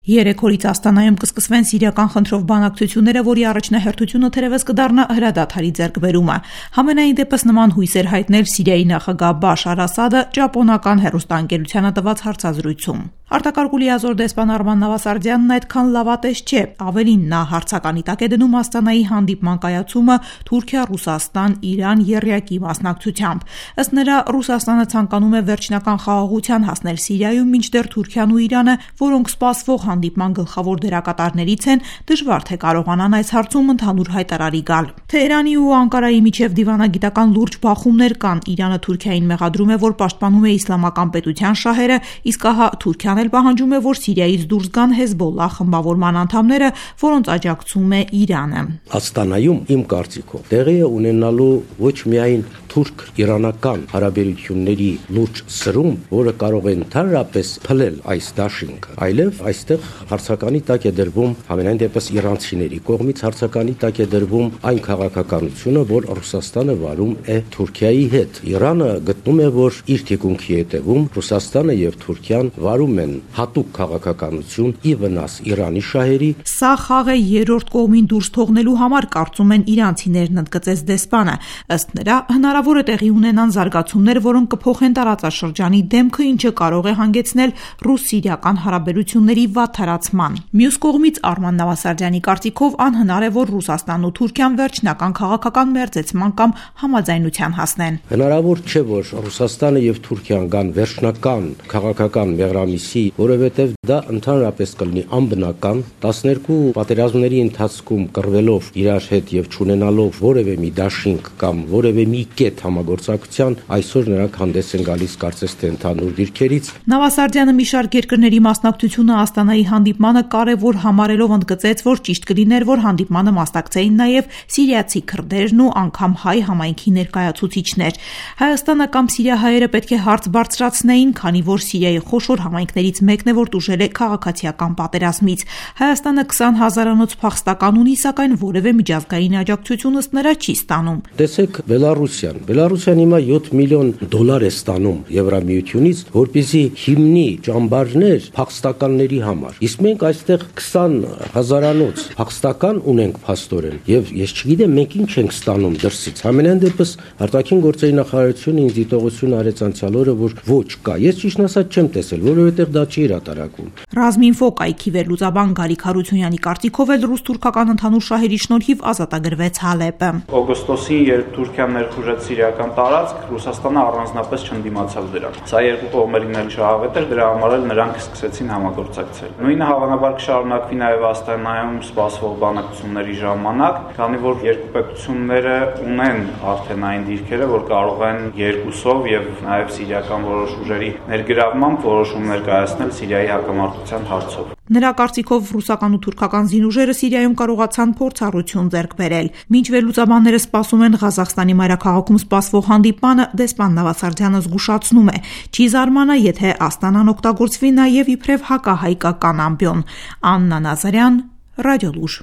3 օրից Աստանայում կսկսվեն սիրիական խնդրով բանակցությունները, որի առաջնահերթությունը թերևս կդառնա հրադադարի ձեռքբերումը։ Համենայն դեպս նման հույսեր հայտնել Սիրիայի նախագահ Բաշար Ասադը ճապոնական հեռուստաընկերությանը տված հարցազրույցում։ Արտակարգ լիազոր դեսպան Արման Նավասարդյանն այդքան լավատես չէ, ավելին նա հարցականի տակ է դնում Աստանայի հանդիպման կայացումը Թուրքիա-Ռուսաստան-Իրան եռյակի մասնակցությամբ։ Ըստ նրա, Ռուսաստանը ցանկանում է վերջնական խաղաղության հասնել Սիրիայում, մինչդեռ Թուրքիան ու Իրանը, որոնք սպասվող հանդիպման գլխավոր դերակատարներից են, դժվար թե կարողանան այս հարցում ընդհանուր հայտարարի գալ։ Թեհրանի ու Անկարայի միջև դիվանագիտական լուրջ բախումներ կան։ Իրանը Թուրքիային մեղադրում է, որ պաշտպանում է իսլամական պետության շահերը, իսկ ահա Թուրքիան էլ պահանջում է, որ Սիրիայից դուրս գան Հեզբոլլահ խմբավորման անդամները, որոնց աջակցում է Իրանը։ Աստանայում իմ կարծիքով տեղի է ունենալու ոչ միայն թուրք-իրանական հարաբերությունների լուրջ սրում, որը կարող է ընդհանրապես փլել այս դաշինքը, այլև այստեղ հարցականի տակ է դրվում համենայն դեպս իրանցիների կողմից հարցականի տակ է դրվում այն քաղաքականությունը, որ Ռուսաստանը վարում է Թուրքիայի հետ։ Իրանը գտնում է, որ իր թիկունքի հետևում Ռուսաստանը եւ Թուրքիան վարում են հատուկ քաղաքականություն ի վնաս Իրանի շահերի։ Սա խաղ է երրորդ կողմին դուրս թողնելու համար, կարծում են իրանցիներն, ընդգծեց դեսպանը։ Ըստ նրա, հնարավոր է տեղի ունենան զարգացումներ, որոնք կփոխեն տարածաշրջանի դեմքը, ինչը կարող է հանգեցնել ռուս-սիրիական հարաբերությունների վատթարացման։ Մյուս կողմից Արման Նավասարդյանի կարծիքով անհնար է, որ Ռուսաստանն ու Թուրքիան վերջնական քաղաքական մերձեցման կամ համաձայնության հասնեն։ Հնարավոր չէ, որ Ռուսաստանը եւ Թուրքիան գան վերջնական քաղաքական մեղրամիսի, որովհետեւ դա ընդհանրապես կլինի անբնական 12 պատերազմների ընթացքում կռվելով իրար հետ եւ չունենալով որևէ մի դաշինք կամ որևէ մի կետ համագործակցության, այսօր նրանք հանդես են գալիս կարծես թե ընդհանուր դիրքերից։ Նավասարդյանը մի շարք երկրների մասնակցությունը Աստանայի հանդիպմանը կարևոր համարելով ընդգծեց, որ ճիշտ կլիներ, որ հանդիպմանը մասնակցեին նաև սիրիացի քրդերն ու անգամ հայ համայնքի ներկայացուցիչներ։ Հայաստանը կամ սիրիահայերը պետք է հարց բարձրացնեին, քանի որ Սիրիայի խոշոր համայնքներից մեկն է, որ տուժել է քաղաքացիական պատերազմից։ Հայաստանը 20,000-անոց փախստական ունի, սակայն որևէ միջազգային աջակցություն ըստ նրա չի ստանում։ Տեսեք Բելարուսիան։ Բելարուսիան հիմա $7 միլիոն է ստանում Եվրամիությունից, որպեսզի հիմնի ճամբարներ փախստականների համար։ Իսկ մենք այստեղ 20,000-անոց փախստական ունենք փաստորեն, եւ ես չգիտեմ մենք ինչ ենք ստանում դրսից։ Համենայն դեպս արտաքին գործերի նախարարությունը ինձ դիտողություն արեց անցյալ օրը, որ ոչ կա։ Ես ճիշտ ասած չեմ տեսել, որովհետեւ դա չի հրատարակում։ Ռազմինֆո կայքի վերլուծաբան Գարիկ Հարությունյանի կարծիքով էլ ռուս-թուրքական ընդհանուր շահերի շնորհիվ ազատագրվեց Հալեպը։ Օգոստոսին, երբ Թուրքիան ներխուժեց սիրիական տարածք, Ռուսաստանը առանձնապես չընդդիմացավ դրան։ Սա երկու կողմերին էլ շահավետ էր, դրա համար էլ նրանք սկսեցին համագործակցել։ Նույնը հավանաբար կշարունակվի նաև Աստանայում սպասվող բանակցությունների ժամանակ, քանի որ երկու պետությունները ունեն արդեն այն դիրքերը, որ կարող են երկուսով եւ նաև սիրիական որոշ ուժերի ներգրավմամբ որոշումներ կայացնել Սիրիայի հակամարտության հարցով։ Նրա կարծիքով ռուսական ու թուրքական զինուժերը Սիրիայում կարողացան փորձառություն ձեռք բերել։ Մինչ վերլուծաբանները սպասում են Ղազախստանի մայրաքաղաքում սպասվող հանդիպմանը, դեսպան Նավասարդյանը զգուշացնում է. չի զարմանա, եթե Աստանան օգտագործվի նաև իբրև հակահայկական ամբիոն։ Աննա Նազարյան, Ռադիոլուր։